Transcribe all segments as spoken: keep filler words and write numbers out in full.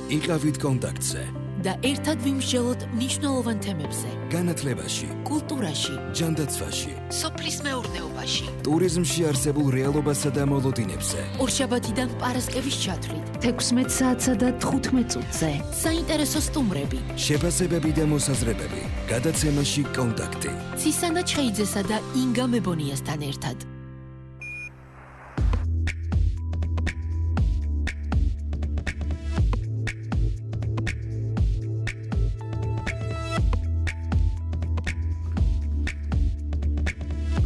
იყავით კონტაქტზე და ერთად ვიმსჯელოთ მნიშვნელოვან თემებზე. განათლებაში, კულტურაში, ჯანდაცვაში, სოფლის მეურნეობაში, ტურიზმში არსებულ რეალობასა და მოლოდინებზე. ორშაბათიდან პარასკევის ჩათვლით, თექვსმეტ საათსა და თხუთმეტ წუთზე. საინტერესო სტუმრები, შეფასებები და მოსაზრებები. გადაცემაში კონტაქტი. ცისანა ჩხეიძესა და ინგა მებონიასთან ერთად.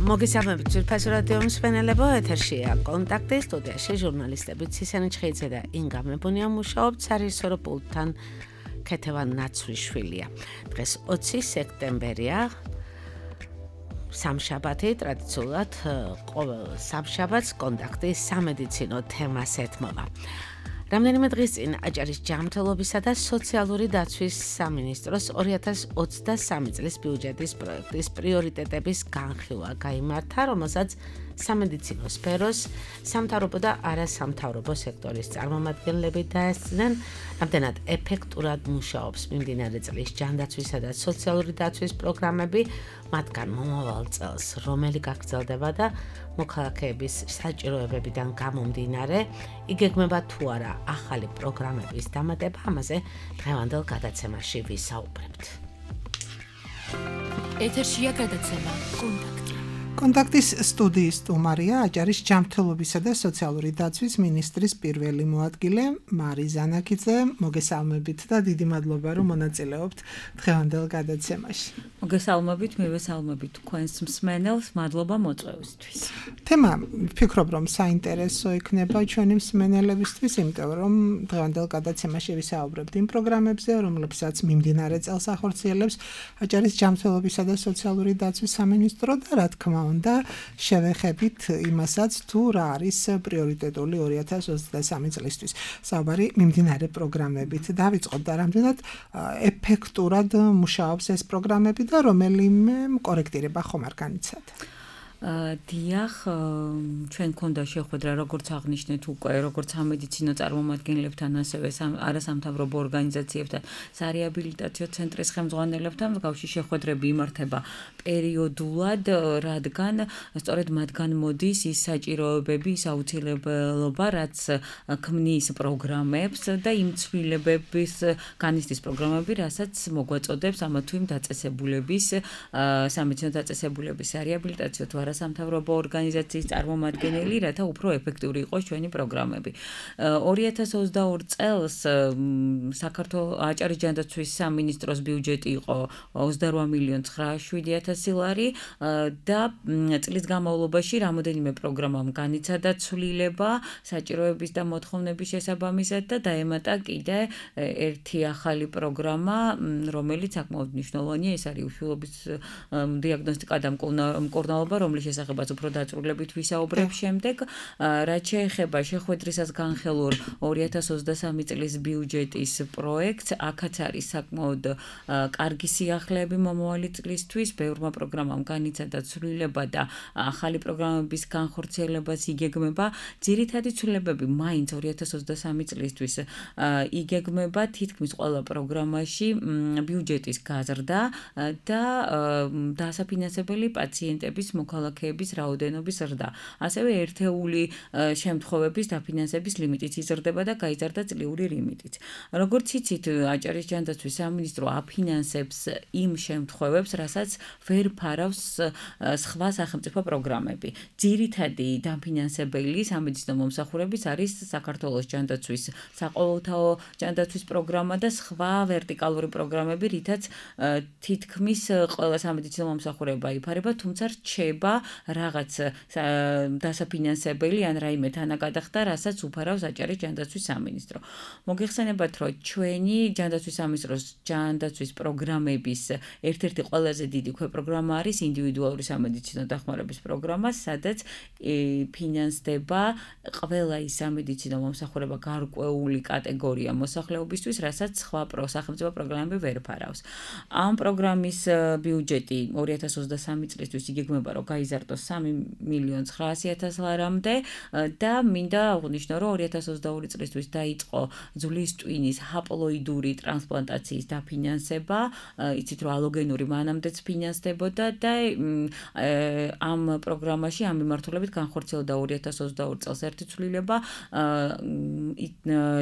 მოგესალმებით ძვირფას რადიო მსმენელებო, ეთერშია კონტაქტი, სტუდიაში ჟურნალისტები ცისანა ჩხეიძე და ინგა მებონია მუშაობთ, სარისორო პულტთან ქეთევან ნაცვლიშვილია. დღეს ოცი სექტემბერია, სამშაბათი, ტრადიციულად ყოველ სამშაბათს კონტაქტი სამედიცინო თემას ეთმობა. რამდენიმე დღის წინ აჭარის ჯანმრთელობისა და სოციალური დაცვის სამინისტროს ორი ათას ოცდასამი წლის ბიუჯეტის პროექტის პრიორიტეტების განხილვა გაიმართა, რომელსაც სამედიცინო სფეროს, სამთავრობო და არასამთავრობო სექტორის წარმომადგენლები დაესწრნენ, რამდენად ეფექტურად მუშაობს მიმდინარე წლის ჯანდაცვისა და სოციალური დაცვის პროგრამები, მათგან მომავალ წელს რომელი გაგრძელდება და მოქალაქეების საჭიროებებიდან გამომდინარე, იგეგმება თუ არა ახალი პროგრამების დამატება, ამაზე დღევანდელ გადაცემაში ვისაუბრებთ. ეთერშია გადაცემა კონტაქტი. კონტაქტის სტუდიის სტუმარია აჭარის ჯანმრთელობისა და სოციალური დაცვის მინისტრის პირველი მოადგილე მარი ზანაკიძე. მოგესალმებით და დიდი მადლობა რომ მონაწილეობთ დღევანდელ გადაცემაში. მოგესალმებით, მივესალმებით თქვენს მსმენელს, მადლობა მოწვევისთვის. თემა ვფიქრობ რომ საინტერესო იქნება ჩვენი მსმენელებისთვის, იმიტომ რომ დღევანდელ გადაცემაში ვისაუბრებთ იმ პროგრამებზე, რომლებსაც მიმდინარე წელს ახორციელებს აჭარის ჯანმრთელობისა და სოციალური დაცვის სამინისტრო და რა თქმა უნდა შევეხებით იმასაც თუ რა არის პრიორიტეტული ორი ათას ოცდასამი წლისთვის. საუბარი მიმდინარე პროგრამებით დავიწყოთ და რამდენად ეფექტურად მუშაობს ეს პროგრამები და რომელიმე კორექტირება ხომ არ განიცადა. დიახ, ჩვენ გქონდა შეხვედრა, როგორც აღნიშნეთ უკვე, როგორც სამედიცინო წარმომადგენლებთან, ასევე არასამთავრობო ორგანიზაციებთან, სარეაბილიტაციო ცენტრის ხელმძღვანელებთან მსგავსი შეხვედრები იმართება პერიოდულად, რადგან სწორედ მათგან მოდის ის საჭიროებები, ის აუცილებლობა, რაც ქმნის პროგრამებს და იმ ცვლილებების განიცდის პროგრამები, რასაც მოგვაწოდებს ამა თუ იმ დაწესებულების, სამედიცინო დაწესებულების სარეაბილიტაციო თუ სამთავრობო ორგანიზაციის წარმომადგენელი, რათა უფრო ეფექტური იყოს ჩვენი პროგრამები. ორი ათას ოცდაორი წელს საქართველოს აჭარის ჯანდაცვის სამინისტროს ბიუჯეტი იყო ოცდარვა მილიონი ცხრაასი ათასი ლარი და წლის განმავლობაში რამოდენიმე პროგრამამ განიცადა ცვლილება საჭიროების და მოთხოვნების შესაბამისად და დაემატა კიდე ერთი ახალი პროგრამა, რომელიც საკმაოდ მნიშვნელოვანია, ეს არის უშვილობის დიაგნოსტიკა და მკურნალობა, რომლის შესახებაც უფრო დაწვრილებით ვისაუბრებ შემდეგ. რაც შეეხება შეხვედრისას განხილულ ორი ათას ოცდასამი წლის ბიუჯეტის პროექტს, აქაც არის საკმაოდ კარგი სიახლეები მომავალი წლისთვის, ბევრმა პროგრამამ განიცადა ცვლილება და ახალი პროგრამების განხორციელებას იგეგმება. ძირითადი ცვლილებები მაინც ორი ათას ოცდასამი წლისთვის იგეგმება თითქმის ყველა პროგრამაში ბიუჯეტის გაზრდა და დასაფინანსებელი პაციენტების მოქალაქეების რაოდენობის ზრდა. ასევე ერთეული შემთხვევების დაფინანსების ლიმიტიც იზრდება და გაიზარდა წლიური ლიმიტიც. როგორც იცით, აჭარის ჯანდაცვის სამინისტრო აფინანსებს იმ შემთხვევებს, რასაც ვერ ფარავს სხვა სახელმწიფო პროგრამები. ძირითადი დაფინანსებელი სამედიცინო მომსახურების არის საქართველოს ჯანდაცვის საყოველთაო ჯანდაცვის პროგრამა და სხვა ვერტიკალური პროგრამები, რითაც თითქმის ყველა სამედიცინო მომსახურება იფარება, თუმცა რჩება რაღაც დასაფინანსებელი ან რაიმე თანაგადახდა, რასაც უფარავს აჭარის ჯანდაცვის სამინისტრო. მოგეხსენებათ, რომ ჩვენი ჯანდაცვის სამინისტროს ჯანდაცვის პროგრამების ერთ-ერთი ყველაზე დიდი ქვეპროგრამა არის ინდივიდუალური სამედიცინო დახმარების პროგრამა, სადაც ფინანსდება ყველა ის სამედიცინო მომსახურება გარკვეული კატეგორია მოსახლეობისთვის, რასაც სხვა სახელმწიფო პროგრამები ვერ ფარავს. ამ პროგრამის ბიუჯეტი ორი ათას ოცდასამი წლისთვის იგეგმება, რომ გაიზარდოს სამი მილიონი ცხრაასი ათას ლარამდე და მინდა აღვნიშნო, რომ ორი ათას ოცდაორი წლისთვის დაიწყო ძვლის ტვინის ჰაპლოიდური ტრანსპლანტაციის დაფინანსება, იცით რომ ალოგენური მანამდეც ფინანსდებოდა და ამ პროგრამაში ამ მიმართულებით განხორციელდა ორი ათას ოცდაორი წელს ერთი ცვლილება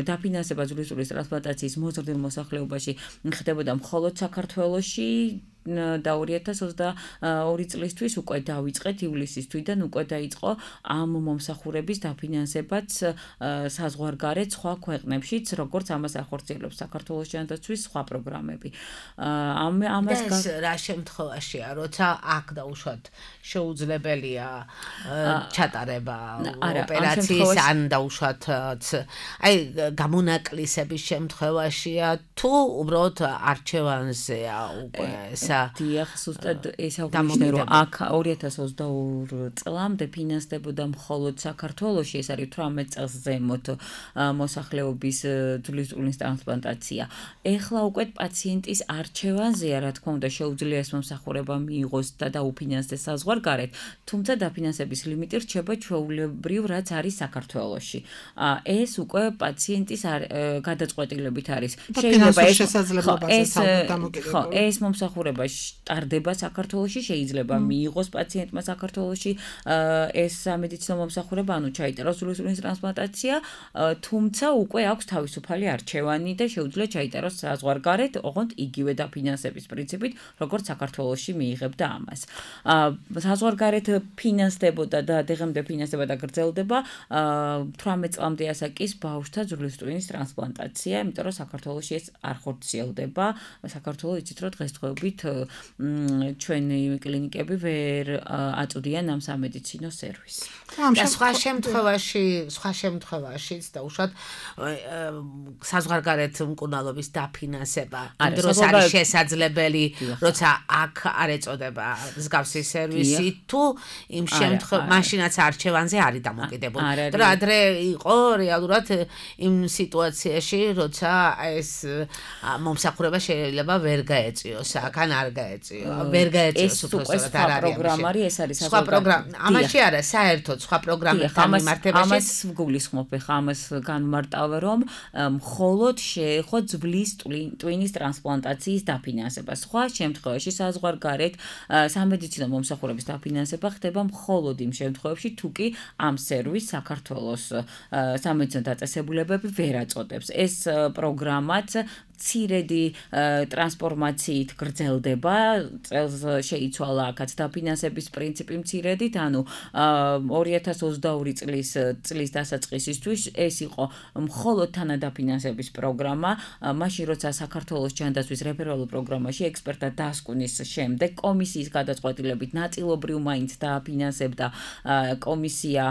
დაფინანსება ძვლის ტვინის ტრანსპლანტაციის მოზრდილ მოსახლეობაში ხდებოდა მხოლოდ საქართველოში და ორი ათას ოცდაორი წლისთვის უკვე დავიწყეთ ივლისის თვიდან უკვე დაიწყო ამ მომსახურების დაფინანსებაც საზღვარგარეთ სხვა ქვეყნებშიც, როგორც ამას ახორციელებს საქართველოს ჯანდაცვის სხვა პროგრამები. ამ ამას რა შემთხვევაშია, როცა აქ დაუშვათ შეუძლებელია ჩატარება ოპერაციის ან დაუშვათ აი გამონაკლისების შემთხვევაშია თუ უბრალოდ არჩევანზეა უკვე დიახ, ზუსტად ეს აღვნიშნე, რომ აქ ორი ათას ოცდაორი წლამდე ფინანსდებოდა მხოლოდ საქართველოში, ეს არის თვრამეტ წელს ზემოთ მოსახლეობის ძვლის ტვინის ტრანსპლანტაცია. ეხლა უკვე პაციენტის არჩევანზეა, რა თქმა უნდა, შეუძლია ეს მომსახურება მიიღოს და დაუფინანსდეს საზღვარგარეთ, თუმცა დაფინანსების ლიმიტი რჩება ჩვეულებრივ, რაც არის საქართველოში. ეს უკვე პაციენტის გადაწყვეტილებით არის. შეიძლება ეს შესაძლებლობაზე ხო, ეს მომსახურება ტარდება საქართველოში, შეიძლება მიიღოს პაციენტმა საქართველოში ეს სამედიცინო მომსახურება, ანუ ჩაიტეროს ძვლის ტვინის ტრანსპლანტაცია, თუმცა უკვე აქვს თავისუფალი არჩევანი და შეუძლია ჩაიტეროს საზღვარგარეთ, ოღონდ იგივე დაფინანსების პრინციპით, როგორც საქართველოში მიიღებდა ამას. საზღვარგარეთ ფინანსდებოდა და დღემდე ფინანსდება და გრძელდება თვრამეტ წლამდე ასაკის ბავშვთა ძვლის ტვინის ტრანსპლანტაცია, იმიტომ რომ საქართველოში ეს არ ხორციელდება. საქართველოს იცით რომ დღესდღეობით ჩვენი კლინიკები ვერ აწვდიან ამ სამედიცინო სერვისს. და სხვა შემთხვევაში, სხვა შემთხვევაშიც დაუშვათ საზღვარგარეთ მკურნალობის დაფინანსება იმ დროს არის შესაძლებელი, როცა აქ არ ეწოდება მსგავსი სერვისი თუ იმ შემთხვევაში მაშინაც არჩევანზე არის დამოკიდებული. და ადრე იყო რეალურად იმ სიტუაციაში, როცა ეს მომსახურება შეიძლება ვერ გაეწიოს, აქან არ გაეწიო, ვერ გაეწიოს უბრალოდ არ არის პროგრამა, ეს არის სხვა პროგრამა. ამაში არა, საერთოდ სხვა პროგრამებთან მიმართებაში ამას გულისხმობ, ხა ამას განმარტავ, რომ მხოლოდ შეეხო ძვლის ტვინის ტრანსპლანტაციის დაფინანსება. სხვა შემთხვევაში საზღვარგარეთ სამედიცინო მომსახურების დაფინანსება ხდება მხოლოდ იმ შემთხვევებში, თუ კი ამ სერვისს საქართველოს სამედიცინო დაწესებულებები ვერ აწოდებს. ეს პროგრამაც მცირედი ტრანსფორმაციით გრძელდება, წელს შეიცვალა აქაც დაფინანსების პრინციპი მცირედით, ანუ ორი ათას ოცდაორი წლის წლის დასაწყისისთვის ეს იყო მხოლოდ თანადაფინანსების პროგრამა, მაშინ როცა საქართველოს ჯანდაცვის რეფერალურ პროგრამაში ექსპერტთა დასკვნის შემდეგ კომისიის გადაწყვეტილებით ნაწილობრივ მაინც დააფინანსებდა კომისია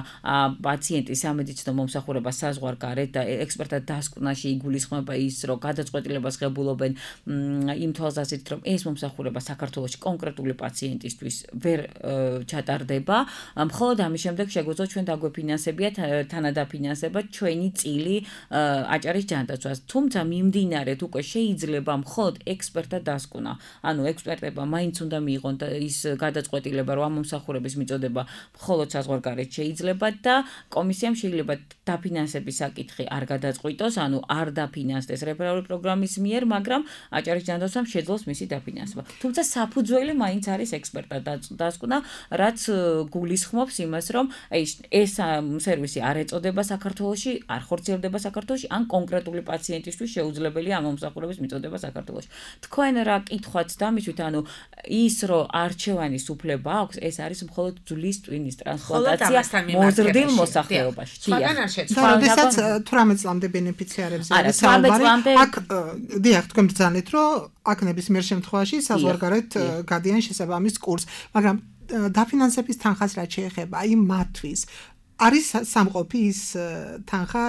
პაციენტის სამედიცინო მომსახურებას საზღვარგარეთ და ექსპერტთა დასკვნაში იგულისხმება ის, რომ გადაწყვეტილება ღებულობენ იმ თვალსაზრისით, რომ ეს მომსახურება საქართველოში კონკრეტული პაციენტისთვის ვერ ჩატარდება. მხოლოდ ამის შემდეგ შეგვეძლო ჩვენ დაგვეფინანსებიათ თანადაფინანსება ჩვენი წილი აჭარის ჯანდაცვას. თუმცა მიმდინარეთ უკვე შეიძლება მხოლოდ ექსპერტთა დასკვნა. ანუ ექსპერტებმა მაინც უნდა მიიღონ ის გადაწყვეტილება, რომ ამ მომსახურების მიწოდება მხოლოდ საზღვარგარეთ შეიძლება და კომისიამ შეიძლება დაფინანსების საკითხი არ გადაწყვიტოს, ანუ არ დაფინანსდეს რეფერალური პროგრამის მიერ, მაგრამ აჭარის ჯანდაცვამ შეძლოს მისი დაფინანსება. თუმცა საფუძველი მაინც არის ექსპერტთა დასკვნა, რაც გულისხმობს იმას, რომ აი ეს სერვისი არ ეწოდება საქართველოში, არ ხორციელდება საქართველოში, ან კონკრეტული პაციენტისთვის შეუძლებელია ამ მომსახურების მიწოდება საქართველოში. თქვენ რა კითხვაც დამისვით, ანუ ის, რომ არჩევანის უფლება აქვს, ეს არის მხოლოდ ძვლის ტვინის ტრანსპლანტაცია მოზრდილ მოსახლეობაში. სხვაგან არ შეცვალა. როდესაც თვრამეტ წლამდე ბენეფიციარებს არის საუბარი, აქ დიახ, თქვენ ბრძანეთ, რომ აქ ნებისმიერ შემთხვევაში საზღვარგარეთ გადიან შესაბამის კურსს, მაგრამ დაფინანსების თანხას რაც შეეხება, აი მათთვის არის სამყოფი ის თანხა,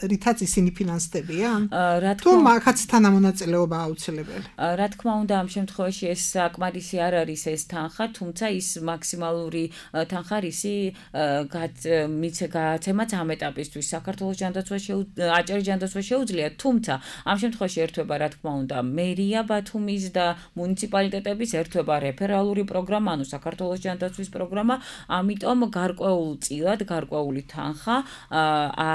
რითაც ისინი ფინანსდებიან? რა თუ მაგაც თანამონაწილეობა აუცილებელი. რა თქმა უნდა, ამ შემთხვევაში ეს საკმარისი არ არის ეს თანხა, თუმცა ის მაქსიმალური თანხა რისი გაცემაც ამ ეტაპისთვის საქართველოს ჯანდაცვა აჭარის ჯანდაცვა შეუძლია, თუმცა ამ შემთხვევაში ერთვება რა თქმა უნდა მერია ბათუმის და მუნიციპალიტეტების ერთვება რეფერალური პროგრამა, ანუ საქართველოს ჯანდაცვის პროგრამა, ამიტომ გარკვეულწილად გარკვეული თანხა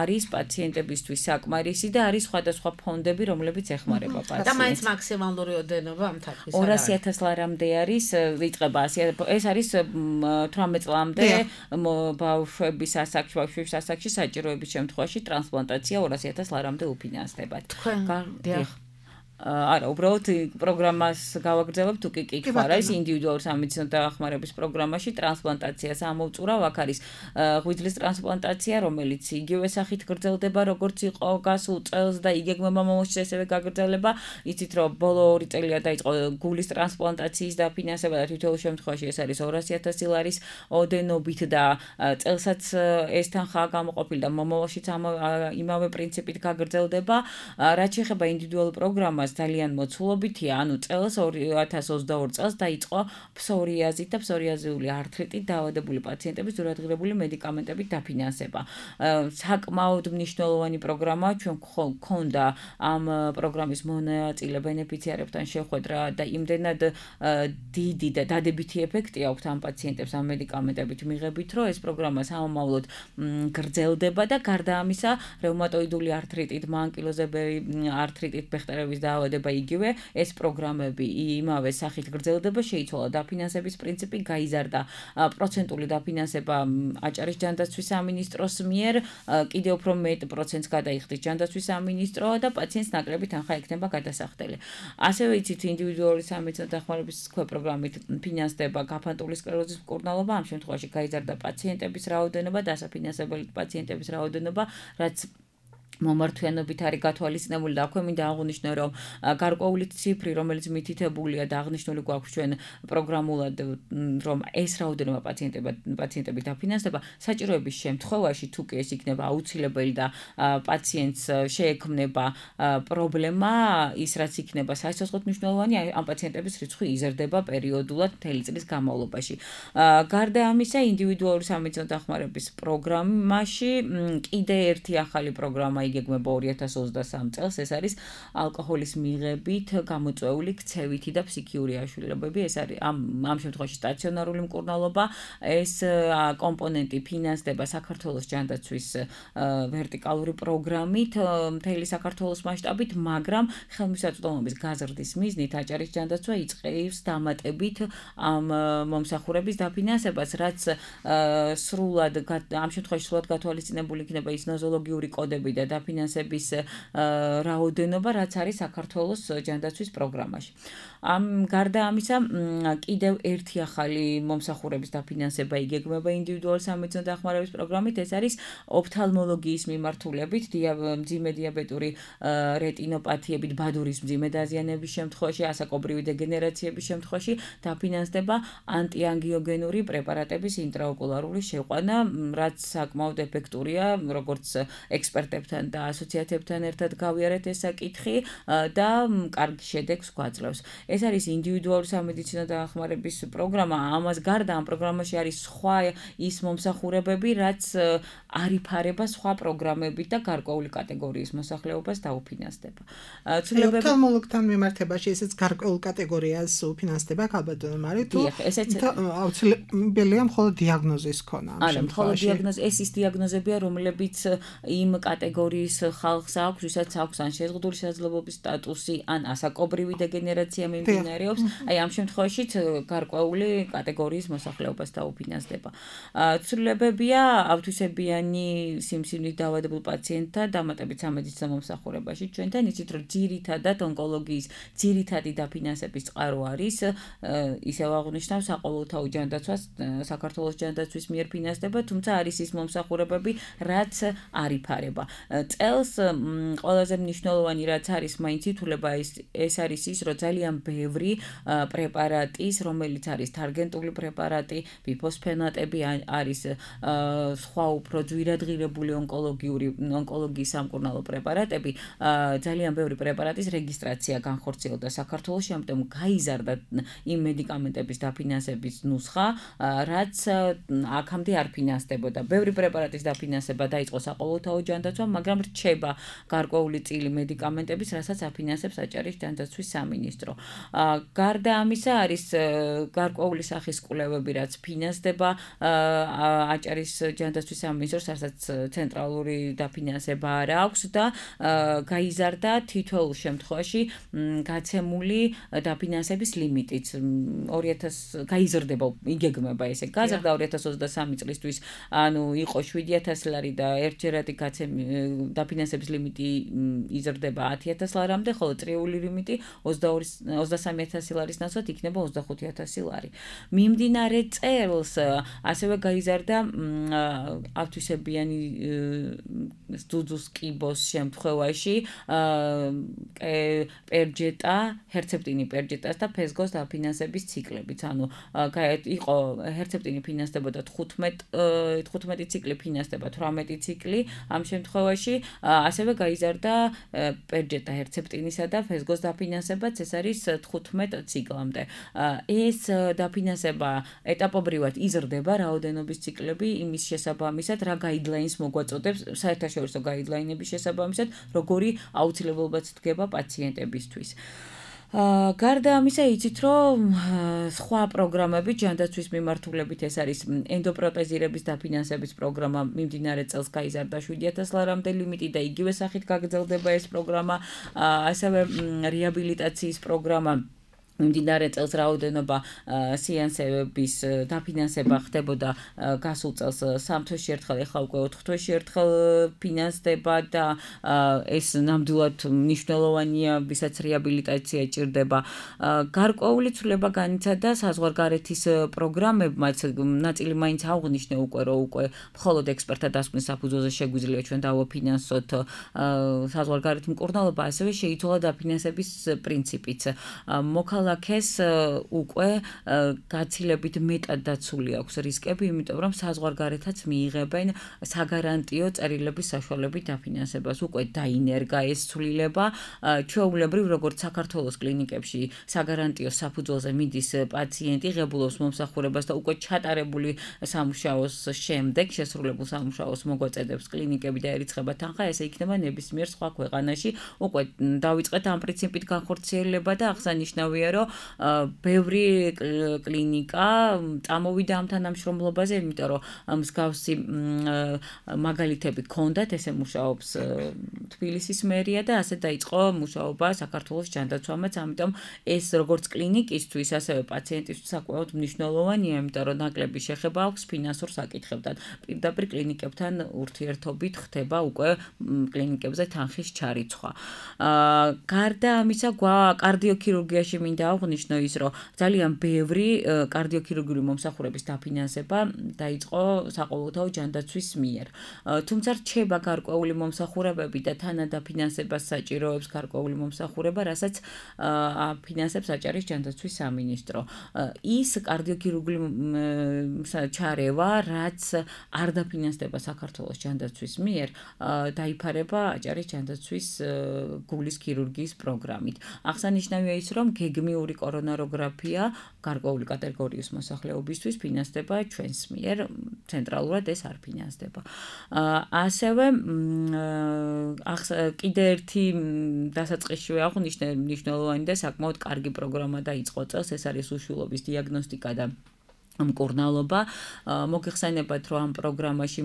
არის პაციენტებისთვის საკმარისი და არის სხვადასხვა ფონდები, რომლებიც ეხმარება პაციენტს. და მაინც მაქსიმალური ოდენობა ამ თანხის არის. ორასი ათას ლარამდე არის, იწყება ეს არის თვრამეტ წლამდე ბავშვების ასაკში, ბავშვების ასაკში საჭიროების შემთხვევაში ტრანსპლანტაცია ორასი ათას ლარამდე უფინანსდებათ. თქვენ დიახ არა, უბრალოდ პროგრამას გავაგრძელებთ თუ კი კითხვა არის ინდივიდუალური სამედიცინო დახმარების პროგრამაში ტრანსპლანტაციას ამოვწურავ, აქ არის ღვიძლის ტრანსპლანტაცია, რომელიც იგივე სახით გრძელდება, როგორც იყო გასულ წელს და იგეგმება მომავალში ესევე გაგრძელება. იცით რომ ბოლო ორი წელია დაიწყო გულის ტრანსპლანტაციის დაფინანსება და თითოეულ შემთხვევაში ეს არის ორასი ათასი ლარის ოდენობით და წელსაც ეს თანხაა გამოყოფილი და მომავალშიც იმავე პრინციპით გაგრძელდება. რაც შეეხება ინდივიდუალურ პროგრამას ძალიან მოცულობითია, ანუ წელს ორი ათას ოცდაორი წელს დაიწყო ფსორიაზით და ფსორიაზიული ართრიტით დაავადებული პაციენტების ზურადღირებული მედიკამენტებით დაფინანსება. საკმაოდ მნიშვნელოვანი პროგრამაა, ჩვენ გქონდა ამ პროგრამის მონაწილე ბენეფიციარებთან შეხვედრა და იმდენად დიდი და დადებითი ეფექტი აქვს ამ პაციენტებს ამ მედიკამენტებით მიღებით, რომ ეს პროგრამა სამომავლოდ გრძელდება და გარდა ამისა, რევმატოიდული ართრიტით, მანკილოზებერი ართრიტით ბეხტერების დაავადება იგივე, ეს პროგრამები იმავე სახით გრძელდება, შეიცვალა დაფინანსების პრინციპი, გაიზარდა პროცენტული დაფინანსება აჭარის ჯანდაცვის სამინისტროს მიერ, კიდევ უფრო მეტ პროცენტს გადაიხდის ჯანდაცვის სამინისტრო და პაციენტს ნაკლები თანხა ექნება გადასახდელი. ასევე იცით ინდივიდუალური სამედიცინო დახმარების პროგრამით ფინანსდება გაფანტული სკლეროზის მკურნალობა, ამ შემთხვევაში გაიზარდა პაციენტების რაოდენობა, დასაფინანსებელი პაციენტების რაოდენობა, რაც მომართვიანობით არის გათვალისწინებული და აქვე მინდა აღვნიშნო, რომ გარკვეული ციფრი, რომელიც მითითებულია და აღნიშნული გვაქვს ჩვენ პროგრამულად, რომ ეს რაოდენობა პაციენტები დაფინანსდება, საჭიროების შემთხვევაში თუ კი ეს იქნება აუცილებელი და პაციენტს შეექმნება პრობლემა, ის რაც იქნება სასიცოცხლოდ მნიშვნელოვანი, ამ პაციენტების რიცხვი იზრდება პერიოდულად მთელი წლის განმავლობაში. გარდა ამისა, ინდივიდუალური სამედიცინო დახმარების პროგრამაში კიდე ერთი ახალი პროგრამა იგეგმება ორი ათას ოცდასამი წელს, ეს არის ალკოჰოლის მიღებით გამოწვეული ქცევითი და ფსიქიური აშუქებები, ეს არის ამ ამ შემთხვევაში სტაციონარული მკურნალობა, ეს კომპონენტი ფინანსდება საქართველოს ჯანდაცვის ვერტიკალური პროგრამით მთელი საქართველოს მასშტაბით, მაგრამ ხელმისაწვდომობის გაზრდის მიზნით აჭარის ჯანდაცვა იწყებს დამატებით ამ მომსახურების დაფინანსებას, რაც სრულად ამ შემთხვევაში სრულად გათვალისწინებული იქნება ის ნოზოლოგიური კოდები და დაფინანსების რაოდენობა, რაც არის საქართველოს ჯანდაცვის პროგრამაში. ამ გარდა ამისა, კიდევ ერთი ახალი მომსახურების დაფინანსება იგეგმება ინდივიდუალური სამედიცინო დახმარების პროგრამით, ეს არის ოფთალმოლოგიის მიმართულებით, მძიმე დიაბეტური რეტინოპათიებით, ბადურის მძიმე დაზიანების შემთხვევაში, ასაკობრივი დეგენერაციების შემთხვევაში დაფინანსდება ანტიანგიოგენური პრეპარატების ინტრაოკულარული შეყვანა, რაც საკმაოდ ეფექტურია, როგორც ექსპერტებთან და ასოციაციებთან ერთად გავიარეთ ეს საკითხი და კარგი შედეგს გვაძლევს. ეს არის ინდივიდუალური სამედიცინო დახმარების პროგრამა, ამას გარდა ამ პროგრამაში არის სხვა ის მომსახურებები, რაც არ იფარება სხვა პროგრამებით და გარკვეული კატეგორიის მოსახლეობას დაუფინანსდება. ოფთალმოლოგთან მიმართებაში ესეც გარკვეულ კატეგორიას უფინანსდება, ალბათ მაგრამ თუ აუცილებელია მხოლოდ დიაგნოზის ქონა ამ შემთხვევაში. არა, მხოლოდ დიაგნოზი, ეს ის დიაგნოზებია, რომლებიც იმ კატეგორიის ხალხს აქვს, ვისაც აქვს ან შეზღუდული შესაძლებლობის სტატუსი, ან ასაკობრივი დეგენერაცია მიმდინარეობს, აი ამ შემთხვევაში გარკვეული კატეგორიის მოსახლეობას დაუფინანსდება. ცვლილებებია ავთვისებიანი სიმსივნით დაავადებულ პაციენტთა დამატებით სამედიცინო მომსახურებაში. ჩვენთან იცით, რომ ძირითადად ონკოლოგიის ძირითადი დაფინანსების წყარო არის, ისევ აღნიშნავ, საყოველთაო ჯანდაცვას საქართველოს ჯანდაცვის მიერ ფინანსდება, თუმცა არის ის მომსახურებები, რაც არ იფარება. წელს ყველაზე მნიშვნელოვანი რაც არის მაინც ითვლება ის ეს არის ის რომ ძალიან ბევრი პრეპარატის რომელიც არის თარგენტული პრეპარატი ბიფოსფენატები არის სხვა უფრო ძვირადღირებული ონკოლოგიური ონკოლოგიის სამკურნალო პრეპარატები ძალიან ბევრი პრეპარატის რეგისტრაცია განხორციელდა საქართველოში ამიტომ გაიზარდა იმ მედიკამენტების დაფინანსების ნუსხა რაც აქამდე არ ფინანსდებოდა ბევრი პრეპარატის დაფინანსება დაიწყო საყოველთაო ჯანდაცვამ მაგრამ რჩება გარკვეული წილი მედიკამენტების რასაც აფინანსებს აჭარის ჯანდაცვის სამინისტრო გარდა ამისა არის გარკვეული სახის კვლევები რაც ფინანსდება აჭარის ჯანდაცვის სამინისტროს რასაც ცენტრალური დაფინანსება არ აქვს და გაიზარდა თითოეულ შემთხვევაში გაცემული დაფინანსების ლიმიტიც ორი ათას გაიზრდება იგეგმება ესე გაზრდა ორი ათას ოცდასამი წლისთვის ანუ იყო შვიდი ათასი ლარი და ერთჯერადი დაფინანსების ლიმიტი იზრდება ათი ათას ლარამდე ხოლო წრიული ლიმიტი ოცდასამი ათასი ლარის ნაცვლად იქნება ოცდახუთი ათასი ლარი მიმდინარე წელს ასევე გაიზარდა ათვისებიანი ძუძუს კიბოს შემთხვევაში პერჯეტა ჰერცეპტინი პერჯეტას და ფესგოს დაფინანსების ციკლებით ანუ იყო ჰერცეპტინი ფინანსდებოდა თხუთმეტი ციკლი ფინანსდება თვრამეტი ციკლი ამ შემთხვევაში ასევე გაიზარდა პერჯეტა ჰერცეპტინისა და ფესგოს დაფინანსებაც ეს არის თხუთმეტ ციკლამდე ეს დაფინანსება ეტაპობრივად იზრდება რაოდენობის ციკლები იმის შესაბამისად რა გაიდლაინს მოგვაწოდებს საერთაშორისო გაიდლაინების შესაბამისად როგორი აუცილებლობაც დგება პაციენტებისთვის გარდა ამისა იცით რომ სხვა პროგრამები ჯანდაცვის მიმართულებით ეს არის ენდოპროტეზირების დაფინანსების პროგრამა მიმდინარე წელს გაიზარდა შვიდი ათას ლარამდე ლიმიტი და იგივე სახით გაგრძელდება ეს პროგრამა ასევე რეაბილიტაციის პროგრამა მიმდინარე წელს რაოდენობა სეანსების დაფინანსება ხდებოდა გასულ წელს სამ თვეში ერთხელ ეხლა უკვე ოთხ თვეში ერთხელ ფინანსდება და ეს ნამდვილად მნიშვნელოვანია ვისაც რეაბილიტაცია ჭირდება გარკვეული ცვლილება განიცადა საზღვარგარეთის პროგრამებმაც ნაწილი მაინც აღვნიშნე უკვე რომ უკვე მხოლოდ ექსპერტთა დასკვნის საფუძველზე შეგვიძლია ჩვენ დავაფინანსოთ საზღვარგარეთ მკურნალობა ასევე შეიცვალა დაფინანსების პრინციპიც მოკალა ქალაქეს უკვე გაცილებით მეტად დაცული აქვს რისკები, იმიტომ რომ საზღვარგარეთაც მიიღებენ საგარანტიო წერილების საშუალებით დაფინანსებას. უკვე დაინერგა ეს ცვლილება, ჩვეულებრივ როგორც საქართველოს კლინიკებში საგარანტიო საფუძველზე მიდის პაციენტი, ღებულობს მომსახურებას და უკვე ჩატარებული სამუშაოს შემდეგ შესრულებულ სამუშაოს მოგვაწედებს კლინიკები და ერიცხება თანხა, ესე იქნება ნებისმიერ სხვა ქვეყანაში. უკვე დავიწყეთ ამ პრინციპით განხორციელება და აღსანიშნავია რომ ბევრი კლინიკა წამოვიდა ამ თანამშრომლობაზე, იმიტომ რომ მსგავსი მაგალითები ჰქონდათ, ესე მუშაობს თბილისის მერია და ასე დაიწყო მუშაობა საქართველოს ჯანდაცვამაც, ამიტომ ეს როგორც კლინიკისთვის, ასევე პაციენტისთვის საკმაოდ მნიშვნელოვანია, იმიტომ რომ ნაკლები შეხება აქვს ფინანსურ საკითხებთან. პირდაპირ კლინიკებთან ურთიერთობით ხდება უკვე კლინიკებზე თანხის ჩარიცხვა. გარდა ამისა, კარდიოქირურგიაში მინდა აღვნიშნო ის, რომ ძალიან ბევრი კარდიოქირურგიული მომსახურების დაფინანსება დაიწყო საყოველთაო ჯანდაცვის მიერ. თუმცა რჩება გარკვეული მომსახურებები და თანადაფინანსებას საჭიროებს გარკვეული მომსახურება, რასაც აფინანსებს აჭარის ჯანდაცვის სამინისტრო. ის კარდიოქირურგიული ჩარევა, რაც არ დაფინანსდება საქართველოს ჯანდაცვის მიერ, დაიფარება აჭარის ჯანდაცვის გულის ქირურგიის პროგრამით. აღსანიშნავია ის, რომ გეგმიური კორონაროგრაფია გარკვეული კატეგორიის მოსახლეობისთვის ფინანსდება ჩვენს მიერ, ცენტრალურად ეს არ ფინანსდება. ასევე კიდე ერთი დასაწყისშივე აღვნიშნე მნიშვნელოვანი და საკმაოდ კარგი პროგრამა დაიწყო წელს, ეს არის უშვილობის დიაგნოსტიკა და მკურნალობა. მოგეხსენებათ, რომ ამ პროგრამაში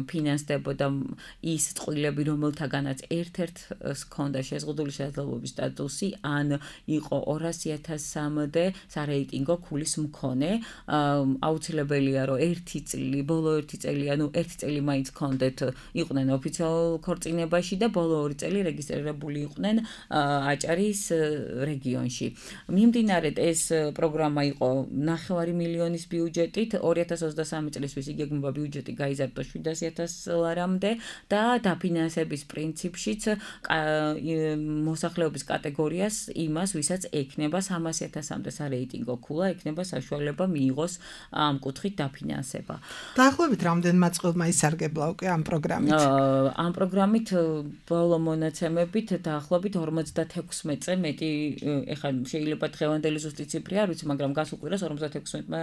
ფინანსდებოდა ის წყვილები, რომელთაგანაც ერთ-ერთ ჰქონდა შეზღუდული შესაძლებლობის სტატუსი, ან იყო ორასი ათასამდე სარეიტინგო ქულის მქონე. აუცილებელია, რომ ერთი წელი, ბოლო ერთი წელი, ანუ ერთი წელი მაინც ჰქონდეთ, იყვნენ ოფიციალურ ქორწინებაში და ბოლო ორი წელი რეგისტრირებული იყვნენ აჭარის რეგიონში. მიმდინარედ ეს პროგრამა იყო ნახევარი მილიონის ლარის ბიუჯეტით ორი ათას ოცდასამი წლისთვის იგეგმება ბიუჯეტი გაიზარდოს შვიდას ათას ლარამდე და დაფინანსების პრინციპშიც მოსახლეობის კატეგორიას იმას, ვისაც ექნება სამას ათასამდე სარეიტინგო ქულა, ექნება საშუალება მიიღოს ამ კუთხით დაფინანსება. დაახლოებით რამდენ მაწყვილმა ისარგებლა უკვე ამ პროგრამით? ამ პროგრამით ბოლო მონაცემებით დაახლოებით ორმოცდათექვსმეტზე მეტი, ეხლა შეიძლება დღევანდელი ზუსტი ციფრი არ ვიცი, მაგრამ გას უკვირას ორმოცდათექვსმეტმა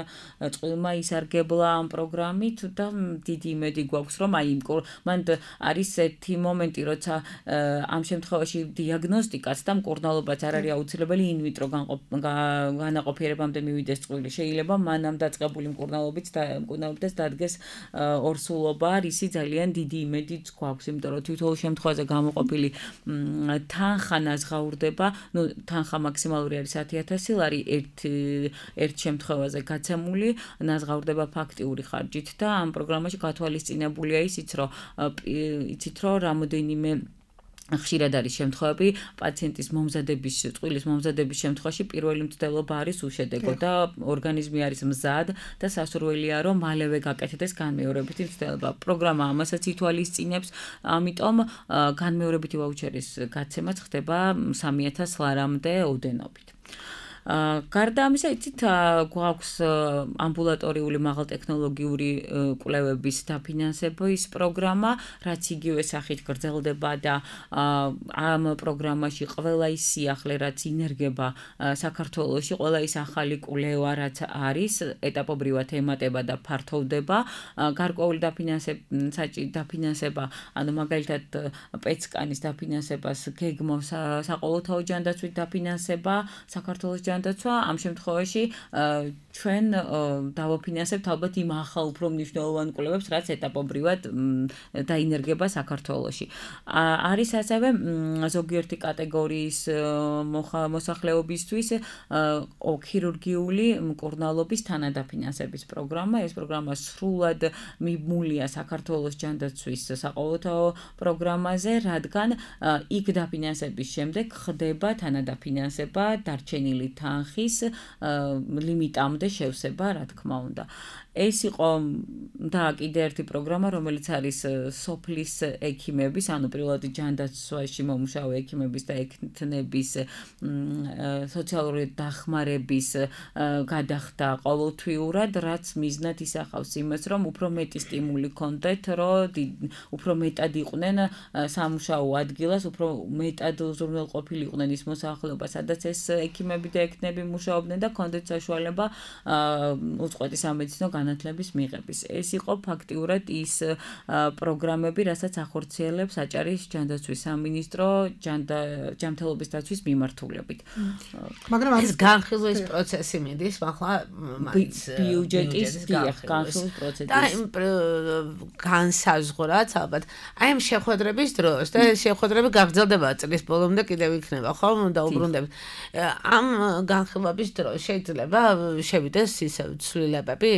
წყვილმა ისარგებლა ამ პროგრამით და დიდი იმედი გვაქვს, რომ აი მან არის ერთი მომენტი, როცა ამ შემთხვევაში დიაგნოსტიკაც და მკურნალობაც არ არის აუცილებელი ინვიტრო განაყოფიერებამდე მივიდეს წყვილი. შეიძლება მანამ დაწყებული მკურნალობით და მკურნალობდეს დადგეს ორსულობა, რისი ძალიან დიდი იმედიც გვაქვს, იმიტომ რომ თითოეულ შემთხვევაზე გამოყოფილი თანხა ნაზღაურდება, ну თანხა მაქსიმალური არის ათი ათასი ლარი ერთ ერთ შემთხვევაზე გაცემული, ნაზღაურდება ფაქტიური ხარჯით და ამ პროგრამაში გათვალისწინებულია ისიც, რომ იცით რომ რამოდენიმე ხშირად არის შემთხვევები პაციენტის მომზადების, წყვილის მომზადების შემთხვევაში პირველი მცდელობა არის უშედეგო და ორგანიზმი არის მზად და სასურველია რომ მალევე გაკეთდეს განმეორებითი მცდელობა. პროგრამა ამასაც ითვალისწინებს, ამიტომ განმეორებითი ვაუჩერის გაცემაც ხდება სამი ათას ლარამდე ოდენობით. გარდა ამისა, იცით, გვაქვს ამბულატორიული მაღალტექნოლოგიური კვლევების დაფინანსების პროგრამა, რაც იგივე სახით გრძელდება და ამ პროგრამაში ყველა ის სიახლე, რაც ინერგება საქართველოში, ყველა ის ახალი კვლევა, რაც არის, ეტაპობრივად ემატება და ფართოვდება. გარკვეული დაფინანსება, ანუ მაგალითად პეცკანის დაფინანსებას გეგმავს საყოველთაო ჯანდაცვით დაფინანსება საქართველოს ჯანდაცვა, ამ შემთხვევაში ჩვენ დავაფინანსებთ ალბათ იმ ახალ უფრო მნიშვნელოვან კვლევებს, რაც ეტაპობრივად დაინერგება საქართველოში. არის ასევე ზოგიერთი კატეგორიის მოსახლეობისთვის ქირურგიული მკურნალობის თანადაფინანსების პროგრამა. ეს პროგრამა სრულად მიმულია საქართველოს ჯანდაცვის საყოველთაო პროგრამაზე, რადგან იქ დაფინანსების შემდეგ ხდება თანადაფინანსება დარჩენილი თანხის ლიმიტამდე შევსება, რა თქმა უნდა. ეს იყო და კიდე ერთი პროგრამა, რომელიც არის სოფლის ექიმების, ანუ პირველად ჯანდაცვაში მომუშავე ექიმების და ექთნების სოციალური დახმარების გადახდა ყოველთვიურად, რაც მიზნად ისახავს იმას, რომ უფრო მეტი სტიმული ჰქონდეთ, რომ უფრო მეტად იყვნენ სამუშაო ადგილას, უფრო მეტად უზრუნველყოფილი იყვნენ ის მოსახლეობა, სადაც ეს ექიმები და ექთნები მუშაობდნენ და ჰქონდეთ საშუალება უწყვეტი სამედიცინო განათლების მიღების. ეს იყო ფაქტიურად ის პროგრამები, რასაც ახორციელებს აჭარის ჯანდაცვის სამინისტრო ჯანმრთელობის დაცვის მიმართულებით. მაგრამ ეს განხილვის პროცესი მიდის, ახლა ბიუჯეტის განხილვის პროცესი. და იმ განსაზღვრად ალბათ, აი ამ შეხვედრების დროს და ეს შეხვედრები გაგრძელდება წლის ბოლომდე კიდევ იქნება, ხო? და უბრუნდებით. ამ განხილვების დროს შეიძლება შევიდეს ისე ცვლილებები?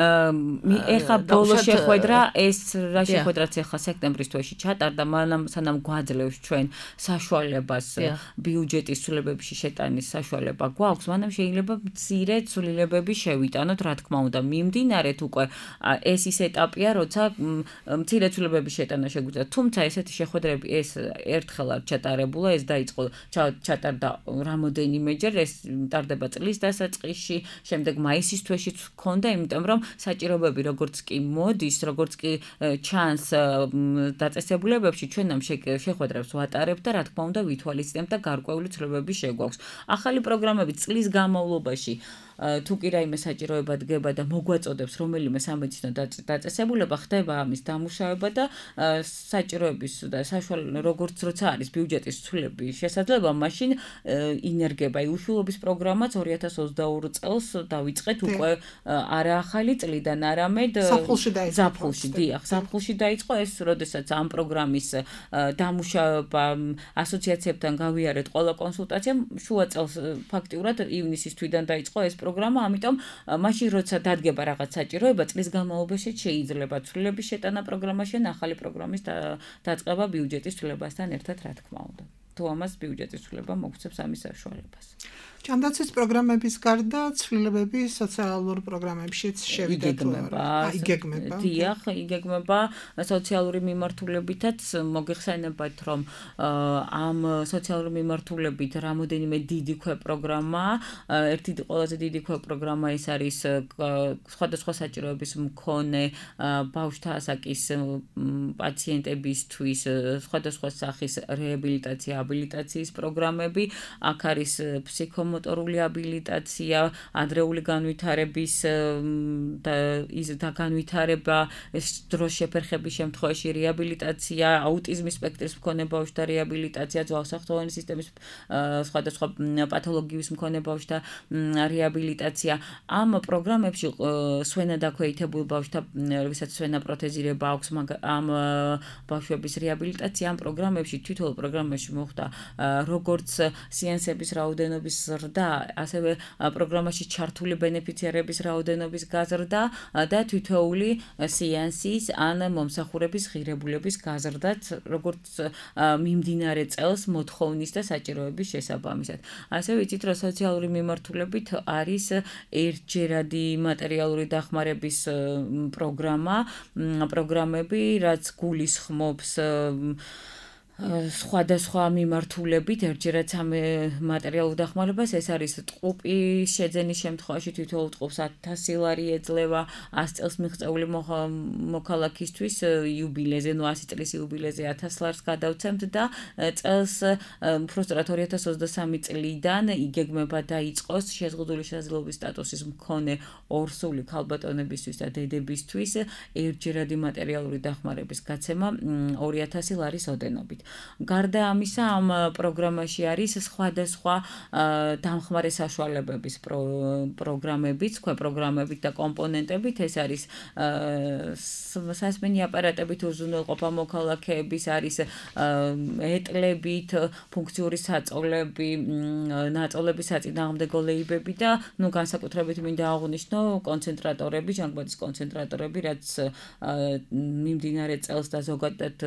ეხლა ბოლო შეხვედრა, ეს რა შეხვედრაც ეხლა სექტემბრის თვეში ჩატარდა, მანამ სანამ გვაძლევს ჩვენ საშუალებას ბიუჯეტის ცვლილებებში შეტანის საშუალება გვაქვს, მანამ შეიძლება მცირე ცვლილებები შევიტანოთ, რა თქმა უნდა, მიმდინარეთ უკვე ეს ის ეტაპია, როცა მცირე ცვლილებების შეტანა შეგვიძლია. თუმცა ესეთი შეხვედრები ეს ერთხელ არ ჩატარებულა, ეს დაიწყო ჩატარდა რამოდენიმეჯერ, ეს ტარდება წლის დასაწყისში, შემდეგ მაისის თვეშიც ჰქონდა, იმიტომ რომ საჭიროებები როგორც კი მოდის, როგორც კი ჩანს დაწესებულებებში, ჩვენ ამ შეხვედრებს ვატარებთ და რა თქმა უნდა ვითვალისწინებთ და გარკვეული ცვლილებები შეგვაქვს. ახალი პროგრამები წლის განმავლობაში თუ კი რაიმე საჭიროება დგება და მოგვაწოდებს რომელიმე სამედიცინო დაწესებულება, ხდება ამის დამუშავება და საჭიროების და საშუალო როგორც როცა არის ბიუჯეტის ცვლილების შესაძლებლობა, მაშინ ინერგება. უშულობის პროგრამაც ორი ათას ოცდაორი წელს დავიწყეთ უკვე არა ახალი წლიდან, არამედ ზაფხულში, დიახ, ზაფხულში დაიწყო ეს, როდესაც ამ პროგრამის დამუშავება ასოციაციებთან გავიარეთ ყველა კონსულტაცია, შუა წელს ფაქტიურად ივნისის თვიდან დაიწყო ეს პროგრამა, ამიტომ მაშინ როცა დადგება რაღაც საჭიროება, წლის განმავლობაში შეიძლება ცვლილების შეტანა პროგრამაში, ახალი პროგრამის დაწყება ბიუჯეტის ცვლილებასთან ერთად, რა თქმა უნდა. ფართო ამას ბიუჯეტის ცვლილება მოგვცემს ამის საშუალებას. ჯანდაცვის პროგრამების გარდა ცვლილებები სოციალურ პროგრამებშიც შევიდათ. იგეგმება. დიახ, იგეგმება სოციალური მიმართულებითაც მოგეხსენებათ, რომ ამ სოციალური მიმართულებით რამოდენიმე დიდი ქვეპროგრამა, ერთი ყველაზე დიდი ქვეპროგრამა ის არის სხვადასხვა საჭიროების მქონე ბავშვთა ასაკის პაციენტებისთვის სხვადასხვა სახის რეაბილიტაცია, აბილიტაციის პროგრამები, აქ არის ფსიქო motorული აბილიტაცია, ადრეული განვითარების და ის და განვითარება, დროს შეფერხების შემთხვევაში რეაბილიტაცია, აუტიზმის სპექტრის მქონე ბავშვთა რეაბილიტაცია, ძვალსახტოვანი სისტემის სხვადასხვა პათოლოგიის მქონე ბავშვთა რეაბილიტაცია. ამ პროგრამებში სვენადაქვეითებულ ბავშვთა, ვისაც სვენა პროთეზირება აქვს, ამ ბავშვების რეაბილიტაცია ამ პროგრამებში, თითოეულ პროგრამაში მოხდა როგორც სეანსების რაოდენობის ზრდა, ასევე პროგრამაში ჩართული ბენეფიციარების რაოდენობის გაზრდა და თითოეული სეანსის ან მომსახურების ღირებულების გაზრდაც, როგორც მიმდინარე წელს მოთხოვნის და საჭიროების შესაბამისად. ასევე იცით, რომ სოციალური მიმართულებით არის ერთჯერადი მატერიალური დახმარების პროგრამა, პროგრამები, რაც გულისხმობს სხვადასხვა მიმართულებით ერთჯერად ამ მატერიალურ დახმარებას, ეს არის ტყუპის შეძენის შემთხვევაში თითოეულ ტყუპს ათასი ლარი ეძლევა, ას წელს მიღწეული მოქალაქისთვის იუბილეზე, ნუ ასი წლის იუბილეზე ათას ლარს გადავცემთ და წელს უბრალოდ ორი ათას ოცდასამი წლიდან იგეგმება დაიწყოს შეზღუდული შესაძლებლობის სტატუსის მქონე ორსული ქალბატონებისთვის და დედებისთვის ერთჯერადი მატერიალური დახმარების გაცემა ორი ათასი ლარის ოდენობით. გარდა ამისა, ამ პროგრამაში არის სხვადასხვა დამხმარე საშუალებების პროგრამებიც, ქვეპროგრამებით და კომპონენტებით, ეს არის სასმენი აპარატებით უზრუნველყოფა მოქალაქეების, არის ეტლებით, ფუნქციური საწოლები, ნაწოლების საწინააღმდეგო ლეიბები და ნუ განსაკუთრებით მინდა აღვნიშნო კონცენტრატორები, ჟანგბადის კონცენტრატორები, რაც მიმდინარე წელს და ზოგადად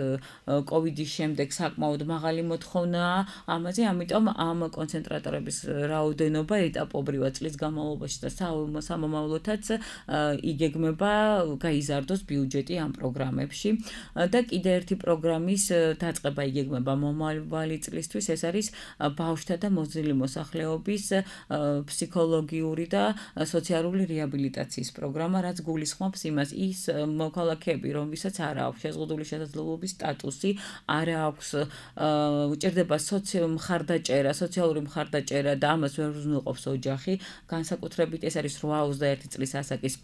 კოვიდის შემდეგ საკმაოდ მაღალი მოთხოვნაა ამაზე, ამიტომ ამ კონცენტრატორების რაოდენობა ეტაპობრივად წლის განმავლობაში და სამომავლოდაც იგეგმება გაიზარდოს ბიუჯეტი ამ პროგრამებში და კიდე ერთი პროგრამის დაწყება იგეგმება მომავალი წლისთვის, ეს არის ბავშვთა და მოზრდილი მოსახლეობის ფსიქოლოგიური და სოციალური რეაბილიტაციის პროგრამა, რაც გულისხმობს იმას, ის მოქალაქეები, რომლითაც არ აქვს შეზღუდული შესაძლებლობის სტატუსი, არ აქვს უჭირდება მხარდაჭერა, სოციალური მხარდაჭერა და ამას ვერ უზრუნველყოფს ოჯახი, განსაკუთრებით ეს არის რვა ოცდაერთი წლის ასაკის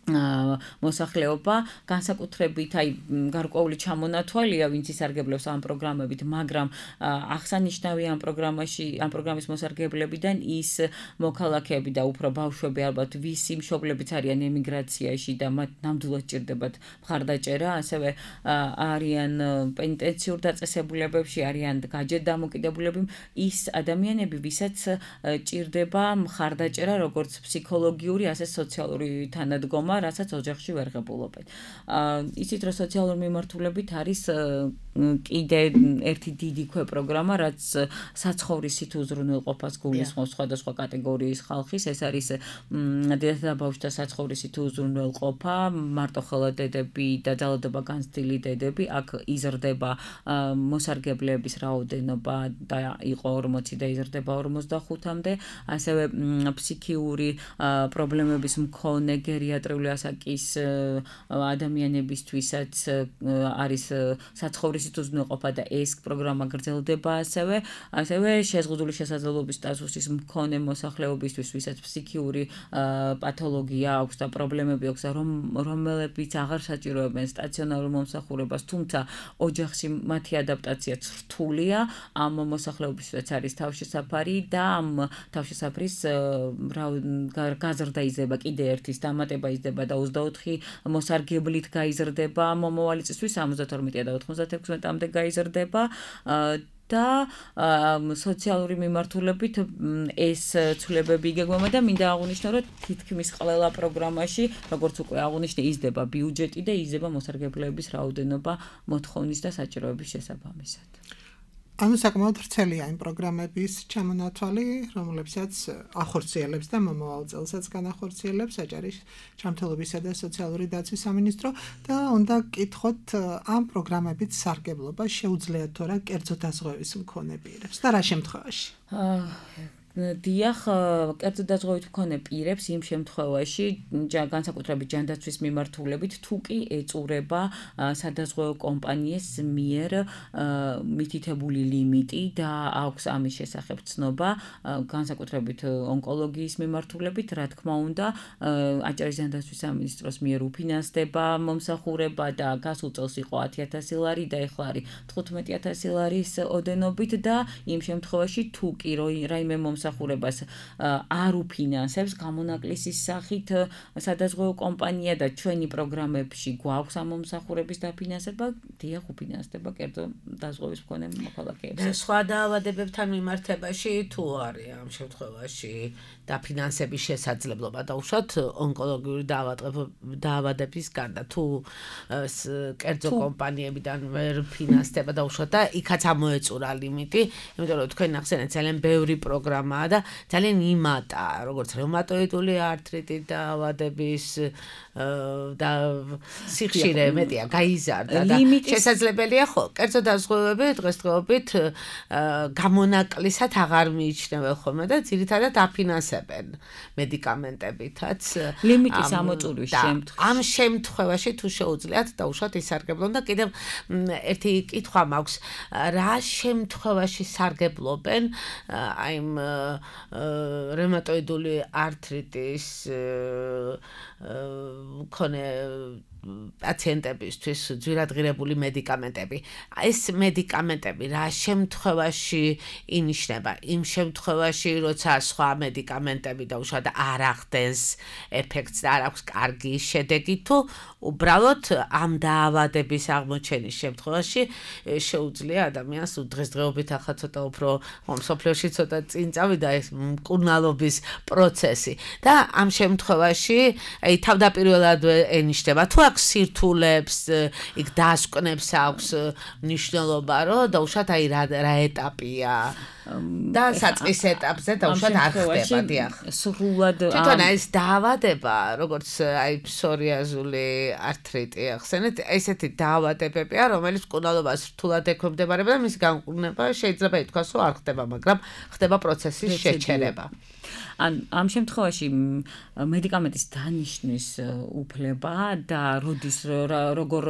მოსახლეობა, განსაკუთრებით აი გარკვეული ჩამონათვალია, ვინც ისარგებლებს ამ პროგრამებით, მაგრამ აღსანიშნავია ამ პროგრამაში, ამ პროგრამის მოსარგებლებიდან ის მოქალაქეები და უფრო ბავშვები ალბათ, ვისი მშობლებიც არიან ემიგრაციაში და მათ ნამდვილად ჭირდებათ მხარდაჭერა, ასევე არიან პენიტენციურ დაწესებულებებში, არიან გაჯეთ დამოკიდებულები, ის ადამიანები, ვისაც ჭირდება მხარდაჭერა, როგორც ფსიქოლოგიური, ასე სოციალური თანადგომა, რასაც ოჯახში ვერ ღებულობენ. იცით, რომ სოციალური მიმართულებით არის კიდე ერთი დიდი ქვეპროგრამა, რაც საცხოვრისით უზრუნველყოფას გულისხმობს სხვადასხვა კატეგორიის ხალხის, ეს არის დედათა და ბავშვთა საცხოვრისით უზრუნველყოფა, მარტოხელა დედები და ძალადობა განცდილი დედები, აქ იზრდება მოსარგებლეების რაოდენობა და იყო ორმოცი და იზრდება ორმოცდახუთამდე, ასევე ფსიქიური პრობლემების მქონე გერიატრიული ასაკის ადამიანებისთვისაც არის საცხოვრისით უზრუნველყოფა და ეს პროგრამა გრძელდება ასევე, ასევე შეზღუდული შესაძლებლობის სტატუსის მქონე მოსახლეობისთვის, ვისაც ფსიქიური პათოლოგია აქვს და პრობლემები აქვს, რომლებიც აღარ საჭიროებენ სტაციონარულ მომსახურებას, თუმცა ოჯახში მათი ადაპტაცია რთულია, ამ მოსახლეობისთვისაც არის თავშესაფარი და ამ თავშესაფრის გაზრდა იზრდება კიდე ერთის დამატება იზრდება და ოცდაოთხი მოსარგებლით გაიზრდება მომავალი წლისთვის სამოცდათორმეტი და ოთხმოცდათექვსმეტამდე გაიზრდება და სოციალური მიმართულებით ეს ცვლილებები იგეგმება და მინდა აღვნიშნო, რომ თითქმის ყველა პროგრამაში, როგორც უკვე აღვნიშნე, იზრდება ბიუჯეტი და იზრდება მოსარგებლეების რაოდენობა მოთხოვნის და საჭიროების შესაბამისად. ანუ საკმაოდ ვრცელია იმ პროგრამების ჩამონათვალი, რომლებსაც ახორციელებს და მომავალ წელსაც განახორციელებს აჭარის ჯანმრთელობისა და სოციალური დაცვის სამინისტრო და უნდა გკითხოთ ამ პროგრამებით სარგებლობა შეუძლიათ თუ არა კერძო დაზღვევის მქონე პირებს და რა შემთხვევაში? დიახ, კერძო დაზღვევით მქონე პირებს იმ შემთხვევაში განსაკუთრებით ჯანდაცვის მიმართულებით თუ კი ეწურება სადაზღვევო კომპანიის მიერ მითითებული ლიმიტი და აქვს ამის შესახებ ცნობა განსაკუთრებით ონკოლოგიის მიმართულებით, რა თქმა უნდა, აჭარის ჯანდაცვის სამინისტროს მიერ უფინანსდება მომსახურება და გასულ წელს იყო ათი ათასი ლარი და ეხლა არის თხუთმეტი ათასი ლარის ოდენობით და იმ შემთხვევაში თუ კი რაიმე მომსახურებას არ უფინანსებს გამონაკლისის სახით სადაზღვევო კომპანია და ჩვენი პროგრამებში გვაქვს ამ მომსახურების დაფინანსება, დიახ, უფინანსდება კერძო დაზღვევის მქონე მოქალაქეებს. სხვა დაავადებებთან მიმართებაში თუ არის ამ შემთხვევაში დაფინანსების შესაძლებლობა და უშუალოდ ონკოლოგიური დაავადების გარდა თუ კერძო კომპანიებიდან ვერ ფინანსდება და უშუალოდ და იქაც ამოეწურა ლიმიტი, იმიტომ რომ თქვენ ახსენეთ ძალიან ბევრი პროგრამაა და ძალიან იმატა, როგორც რევმატოიდული ართრიტი დაავადების და სიხშირე მეტია, გაიზარდა და შესაძლებელია ხო, კერძო დაზღვევები დღესდღეობით გამონაკლისად აღარ მიიჩნევენ ხოლმე და ძირითადად აფინანსებენ მედიკამენტებითაც. ლიმიტის ამოწურვის შემთხვევაში. ამ შემთხვევაში თუ შეუძლიათ და უშუალოდ ისარგებლონ და კიდევ ერთი კითხვა მაქვს, რა შემთხვევაში სარგებლობენ აი იმ რევმატოიდული ართრიტის მქონე პაციენტებისთვის ძვირადღირებული მედიკამენტები. ეს მედიკამენტები რა შემთხვევაში ინიშნება? იმ შემთხვევაში, როცა სხვა მედიკამენტები და უშუალოდ არ ახდენს ეფექტს და არ აქვს კარგი შედეგი, თუ უბრალოდ ამ დაავადების აღმოჩენის შემთხვევაში შეუძლია ადამიანს დღესდღეობით ახლა ცოტა უფრო მსოფლიოში ცოტა წინ წავიდა ეს მკურნალობის პროცესი და ამ შემთხვევაში აი თავდაპირველად ენიშნება თუ აქვს სირთულებს, იქ დასკვნებს აქვს მნიშვნელობა, რომ დაუშვათ აი რა რა ეტაპია და საწყის ეტაპზე დაუშვათ არ ხდება, დიახ. სრულად თვითონ ეს დაავადება, როგორც აი ფსორიაზული ართრიტი ახსენეთ, ესეთი დაავადებებია, რომელიც მკურნალობას რთულად ექვემდებარება და მისი განკურნება შეიძლება ითქვას, რომ არ ხდება, მაგრამ ხდება პროცესის შეჩერება. ან ამ შემთხვევაში მედიკამენტის დანიშნვის უფლება და როდის როგორ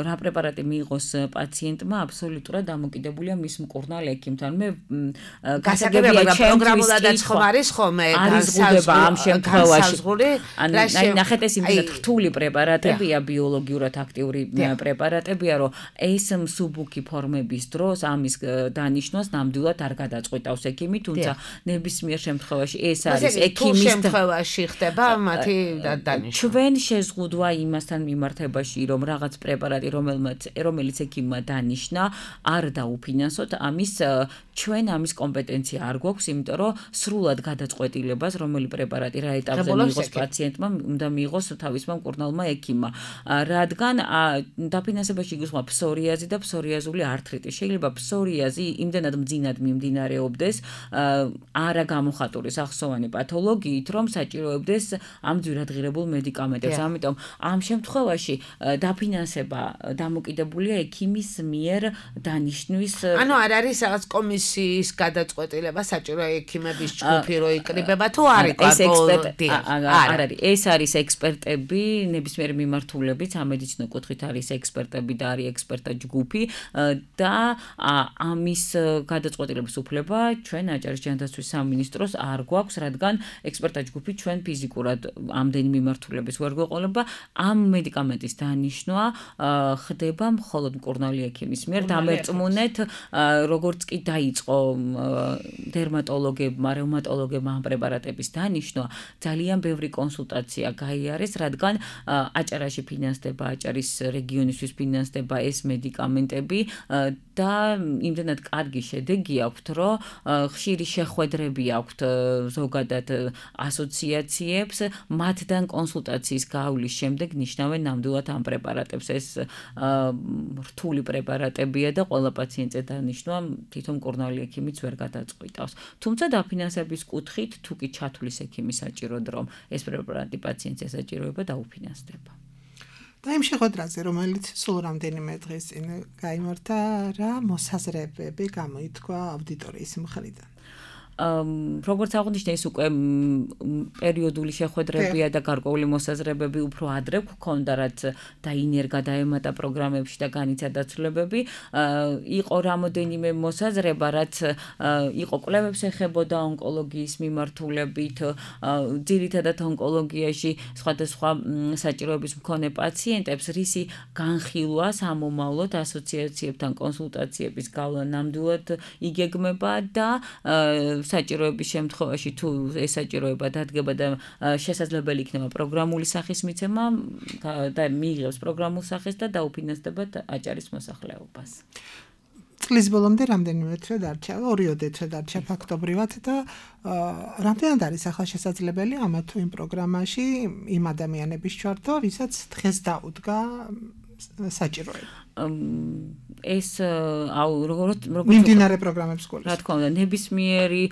რა პრეპარატი მიიღოს პაციენტმა აბსოლუტურად დამოკიდებულია მის მკურნალ ექიმთან. მე გასაგებია პროგრამულადაც ხომ არის ხოლმე განსაზღვრება ამ შემთხვევაში. ან ნახეთ ეს იმდენად რთული პრეპარატებია, ბიოლოგიურად აქტიური პრეპარატებია, რომ ეს მსუბუქი ფორმების დროს ამის დანიშნვას ნამდვილად არ გადაწყვეტავს ექიმი, თუმცა ნებისმიერ შემთხვევაში ეს არის ექიმის შემთხვევაში ხდება მათი დანიშნვა. ჩვენ შეზღუდვა იმასთან მიმართებაში, რომ რაღაც პრეპარატი, რომელმაც რომელიც ექიმმა დანიშნა, არ დაუფინანსოთ, ამის ჩვენ ამის კომპეტენცია არ გვაქვს, იმიტომ რომ სრულად გადაწყვეტილებას, რომელი პრეპარატი რა ეტაპზე მიიღოს პაციენტმა, უნდა მიიღოს თავისმა მკურნალმა ექიმმა. რადგან დაფინანსებაში იგულისხმება ფსორიაზი და ფსორიაზული ართრიტი. შეიძლება ფსორიაზი იმდენად მძინად მიმდინარეობდეს, არა გამოხატული სახსოვანი პათოლოგიით, რომ საჭიროებდეს ამ ძვირადღირებულ მედიკამენტებს. ამიტომ ამ შემთხვევაში დაფინანსება დამოკიდებულია ექიმის მიერ დანიშნვის. ანუ არ არის რაღაც კომისიის გადაწყვეტილება საჭირო ექიმების ჯგუფი რო იკრიბება თუ არ არის ექსპერტები. არ არის. ეს არის ექსპერტები, ნებისმიერ მიმართულებით, სამედიცინო კუთხით არის ექსპერტები და არის ექსპერტთა ჯგუფი და ამის გადაწყვეტილების უფლება ჩვენ აჭარის ჯანდაცვის სამინისტროს არ გვაქვს, რადგან ექსპერტთა ჯგუფი ჩვენ ფიზიკურად ამდენი მიმართულების ვერ გვეყოლება. ამ მედიკამენტის დანიშნვა ხდება მხოლოდ მკურნალი ექიმის მიერ. დამერწმუნეთ, როგორც კი დაიწყო დერმატოლოგებმა, რევმატოლოგებმა ამ პრეპარატების დანიშნვა, ძალიან ბევრი კონსულტაცია გაიარეს, რადგან აჭარაში ფინანსდება, აჭარის რეგიონისთვის ფინანსდება ეს მედიკამენტები და იმდენად კარგი შედეგი აქვთ, რომ ხშირ ხშირი შეხვედრები აქვთ ზოგადად ასოციაციებს, მათთან კონსულტაციის გავლის შემდეგ ნიშნავენ ნამდვილად ამ პრეპარატებს. ეს რთული პრეპარატებია და ყველა პაციენტზე დანიშნვა თვითონ მკურნალი ექიმიც ვერ გადაწყვიტავს. თუმცა დაფინანსების კუთხით თუ კი ჩათვლის ექიმი საჭიროდ რომ ეს პრეპარატი პაციენტს ესაჭიროება დაუფინანსდება. და იმ შეხვედრაზე, რომელიც სულ რამდენიმე დღის წინ გაიმართა, რა მოსაზრებები გამოითქვა აუდიტორიის მხრიდან? როგორც აღნიშნე, ეს უკვე პერიოდული შეხვედრებია და გარკვეული მოსაზრებები უფრო ადრე გვქონდა, რაც დაინერგა დაემატა პროგრამებში და განიცადა ცვლილებები. იყო რამოდენიმე მოსაზრება, რაც იყო კვლევებს ეხებოდა ონკოლოგიის მიმართულებით, ძირითადად ონკოლოგიაში სხვადასხვა საჭიროების მქონე პაციენტებს რისი განხილვა სამომავლოდ ასოციაციებთან კონსულტაციების გავლა ნამდვილად იგეგმება და საჭიროების შემთხვევაში თუ ეს საჭიროება დადგება და შესაძლებელი იქნება პროგრამული სახის მიცემა და მიიღებს პროგრამულ სახეს და დაუფინანსდება აჭარის მოსახლეობას. წლის ბოლომდე რამდენიმე თვე დარჩა, ორიოდე თვე დარჩა ფაქტობრივად და რამდენად არის ახლა შესაძლებელი ამა თუ იმ პროგრამაში იმ ადამიანების ჩართვა, ვისაც დღეს დაუდგა საჭიროება. ეს აუ როგორც მიმდინარე პროგრამებს გულისხმობს. რა თქმა უნდა, ნებისმიერი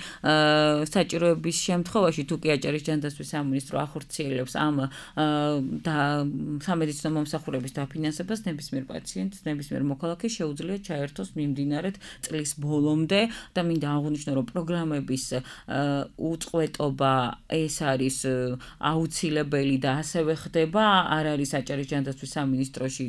საჭიროების შემთხვევაში თუ კი აჭარის ჯანდაცვის სამინისტრო ახორციელებს ამ და სამედიცინო მომსახურების დაფინანსებას, ნებისმიერ პაციენტს, ნებისმიერ მოქალაქეს შეუძლია ჩაერთოს მიმდინარედ წლის ბოლომდე და მინდა აღვნიშნო, რომ პროგრამების უწყვეტობა ეს არის აუცილებელი და ასევე ხდება, არ არის აჭარის ჯანდაცვის სამინისტროში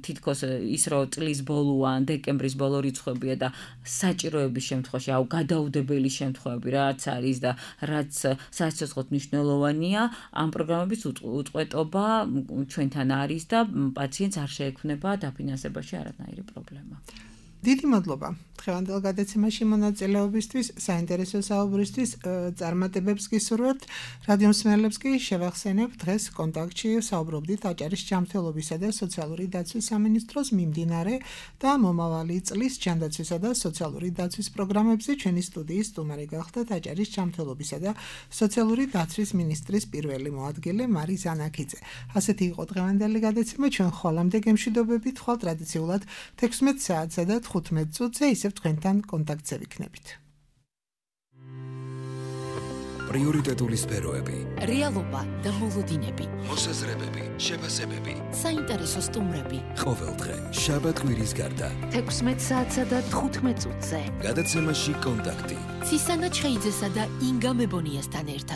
თითქოს ის რომ წლის ბოლოა, დეკემბრის ბოლო რიცხვებია და საჭიროების შემთხვევაში, აუ გადაუდებელი შემთხვევები რაც არის და რაც საცოცხლოდ მნიშვნელოვანია, ამ პროგრამების უწყვეტობა ჩვენთან არის და პაციენტს არ შეექმნება დაფინანსებაში არანაირი პრობლემა. დიდი მადლობა დღევანდელ გადაცემაში მონაწილეობისთვის, საინტერესო საუბრისთვის, წარმატებებს გისურვებთ. რადიო მსმენელებს კი შევახსენებ, დღეს კონტაქტში საუბრობდით აჭარის ჯანმრთელობისა და სოციალური დაცვის სამინისტროს მიმდინარე და მომავალი წლის ჯანდაცვისა და სოციალური დაცვის პროგრამებზე. ჩვენი სტუდიის სტუმარი გახდათ აჭარის ჯანმრთელობისა და სოციალური დაცვის მინისტრის პირველი მოადგილე მარი ზანაქიძე. ასეთი იყო დღევანდელი გადაცემა. ჩვენ ხოლამდე გემშვიდობებით, ხვალ ტრადიციულად თექვსმეტ საათსა და თხუთმეტ წუთზე ისევ თქვენთან კონტაქტზე ვიქნებით. პრიორიტეტული სფეროები, რეალობა და მოლოდინები, მოსაზრებები, შეფასებები, საინტერესო სტუმრები. ყოველდღე შაბათ-კვირის გარდა თექვსმეტ საათსა და თხუთმეტ წუთზე. გადაცემაში კონტაქტი. ცისანა ჩხეიძესა და ინგა მებონიასთან ერთად.